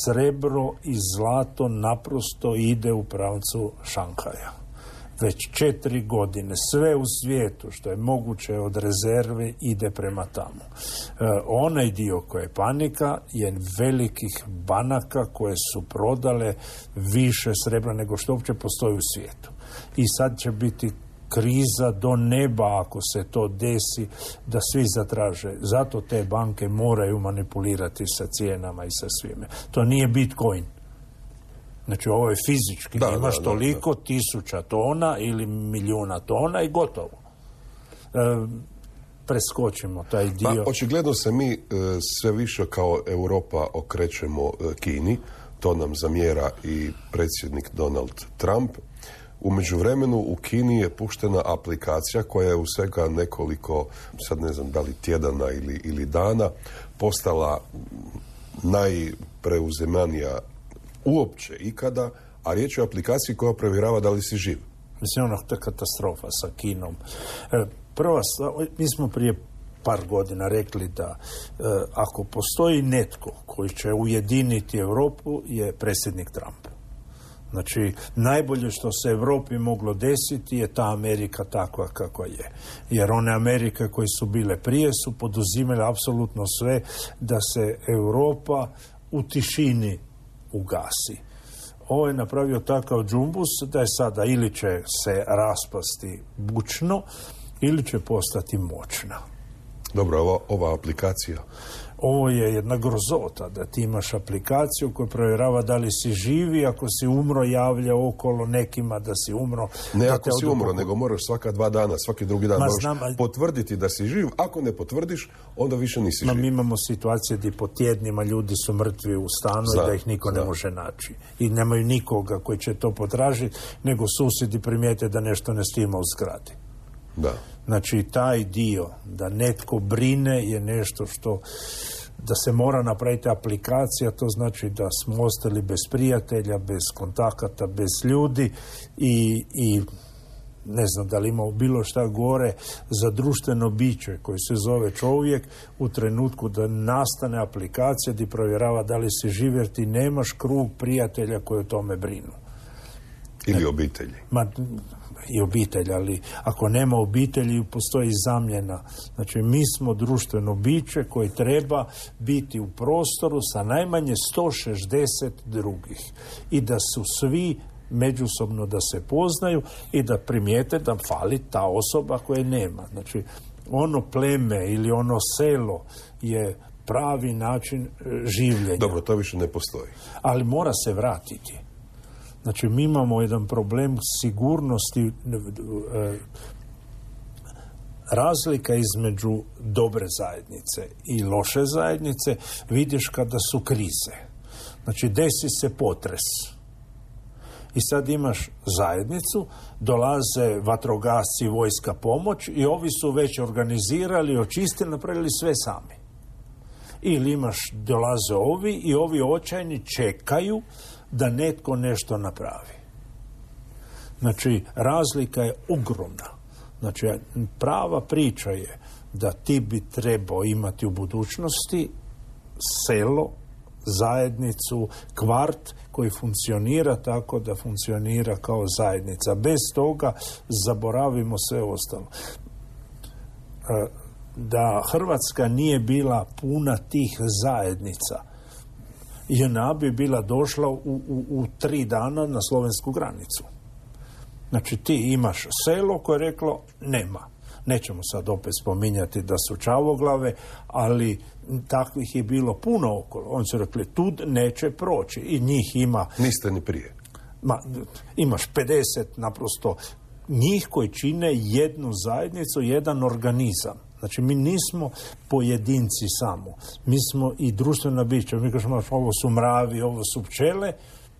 srebro i zlato naprosto ide u pravcu Šanghaja. Već četiri godine sve u svijetu što je moguće od rezerve ide prema tamo. E, onaj dio koji je panika je velikih banaka koje su prodale više srebra nego što uopće postoji u svijetu. I sad će biti kriza do neba ako se to desi da svi zatraže. Zato te banke moraju manipulirati sa cijenama i sa svime. To nije Bitcoin. Znači ovo je fizički. Da, imaš da, toliko da, da. tisuća tona ili milijuna tona i gotovo. E, preskočimo taj dio. Pa, očigledno se mi e, sve više kao Europa okrećemo e, Kini. To nam zamjera i predsjednik Donald Trump. U međuvremenu u Kini je puštena aplikacija koja je u svega nekoliko, sad ne znam da li tjedana ili, ili dana, postala najpreuzemanija uopće ikada, a riječ je o aplikaciji koja provjerava da li si živ. Mislim, ono, to je katastrofa sa Kinom. E, prva, mi smo prije par godina rekli da e, ako postoji netko koji će ujediniti Europu je predsjednik Trump. Znači, najbolje što se Europi moglo desiti je ta Amerika takva kakva je. Jer one Amerike koje su bile prije su poduzimale apsolutno sve da se Europa u tišini ugasi. Ovo je napravio takav džumbus da je sada ili će se raspasti bučno ili će postati moćna. Dobro, ova, ova aplikacija? Ovo je jedna grozota da ti imaš aplikaciju koja provjerava da li si živi, ako si umro javlja okolo nekima da si umro. Ne da ako si umro, nego moraš svaka dva dana, svaki drugi dan Ma, moraš znam, a... potvrditi da si živ. Ako ne potvrdiš, onda više nisi Ma, živ. mi imamo situacije gdje po tjednima ljudi su mrtvi u stanu zna, i da ih niko zna. ne može naći. I nemaju nikoga koji će to potražiti, nego susjedi primijete da nešto ne stima u zgradi. Da. Znači, taj dio da netko brine je nešto što da se mora napraviti aplikacija, to znači da smo ostali bez prijatelja, bez kontakata, bez ljudi i, i ne znam da li ima bilo šta gore za društveno biće koji se zove čovjek u trenutku da nastane aplikacija gdje provjerava da li si živ jer ti nemaš krug prijatelja koji o tome brinu. Ili obitelji. Ma, i obitelj, ali ako nema obitelji postoji zamjena. Znači mi smo društveno biće koji treba biti u prostoru sa najmanje sto šezdeset drugih i da su svi međusobno da se poznaju i da primijete da fali ta osoba koje nema. Znači ono pleme ili ono selo je pravi način življenja. Dobro, to više ne postoji. Ali mora se vratiti. Znači, mi imamo jedan problem sigurnosti, razlika između dobre zajednice i loše zajednice vidiš kada su krize. Znači, desi se potres. I sad imaš zajednicu, dolaze vatrogasci, vojska, pomoć i ovi su već organizirali, očistili, napravili sve sami. Ili imaš, dolaze ovi i ovi očajni čekaju da netko nešto napravi. Znači, razlika je ogromna. Znači, prava priča je da ti bi trebao imati u budućnosti selo, zajednicu, kvart koji funkcionira tako da funkcionira kao zajednica. Bez toga zaboravimo sve ostalo. Da Hrvatska nije bila puna tih zajednica, J N A bi bila došla u, u, u tri dana na slovensku granicu. Znači ti imaš selo koje je reklo nema. Nećemo sad opet spominjati da su čavoglave, ali takvih je bilo puno okolo. Oni su rekli tu neće proći i njih ima... Niste ni prije. Ma, imaš pedeset naprosto njih koji čine jednu zajednicu, jedan organizam. Znači, mi nismo pojedinci samo. Mi smo i društvena bića. Mi kažemo, ovo su mravi, ovo su pčele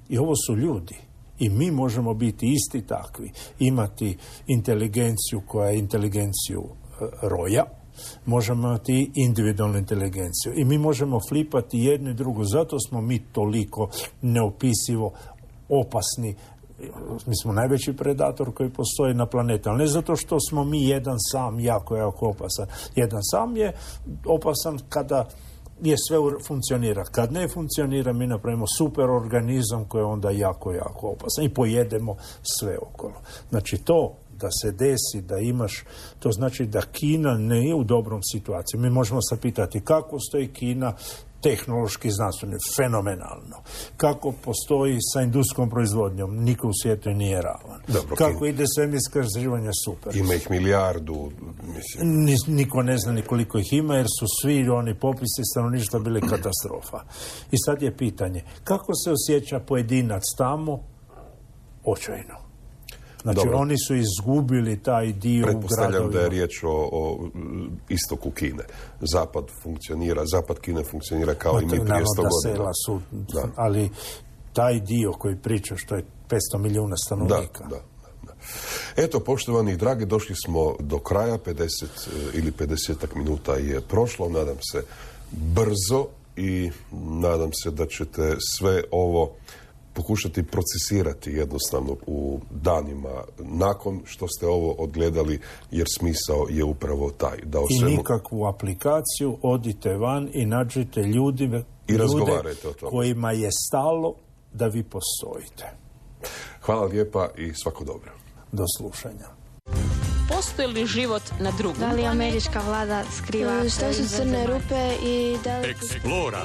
i ovo su ljudi. I mi možemo biti isti takvi. Imati inteligenciju koja je inteligenciju roja, možemo imati individualnu inteligenciju. I mi možemo flipati jedno i drugo. Zato smo mi toliko neopisivo opasni. Mi smo najveći predator koji postoji na planeti, ali ne zato što smo mi jedan sam jako, jako opasan. Jedan sam je opasan kada je sve funkcionira. Kad ne funkcionira, mi napravimo super organizam koji je onda jako, jako opasan i pojedemo sve okolo. Znači to da se desi, da imaš, to znači da Kina ne je u dobrom situaciji. Mi možemo se pitati kako stoji Kina tehnološki, znanstveno, fenomenalno. Kako postoji sa industrijskom proizvodnjom, niko u svijetu nije ravan. Dobro, kako Kina. ide svemirska istraživanja, super. Ima ih milijardu, mislim. Ni, niko ne zna ni koliko ih ima, jer su svi oni popisi stanovništva bili katastrofa. I sad je pitanje, kako se osjeća pojedinac tamo? Očajno. Znači, Dobro. oni su izgubili taj dio u gradovima. Pretpostavljam da je riječ o, o istoku Kine. Zapad funkcionira, zapad Kine funkcionira kao no, i mi prije sto godina. Sela su, da. Ali taj dio koji priča što je petsto milijuna stanovnika. Da, da, da. Eto, poštovani dragi, došli smo do kraja, pedeset ili pedesetak minuta je prošlo, nadam se brzo i nadam se da ćete sve ovo pokušati procesirati jednostavno u danima nakon što ste ovo odgledali, jer smisao je upravo taj. Da o svemu... I nikakvu aplikaciju, odite van i nađite ljudi, I ljude kojima je stalo da vi postojite. Hvala lijepa i svako dobro. Do slušanja. Postoji li život na drugom? Da li američka vlada skriva Što su crne rupe i da li... Eksplora.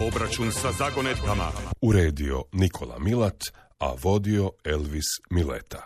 Obračun sa zagonetkama. Uredio Nikola Milat, a vodio Elvis Mileta.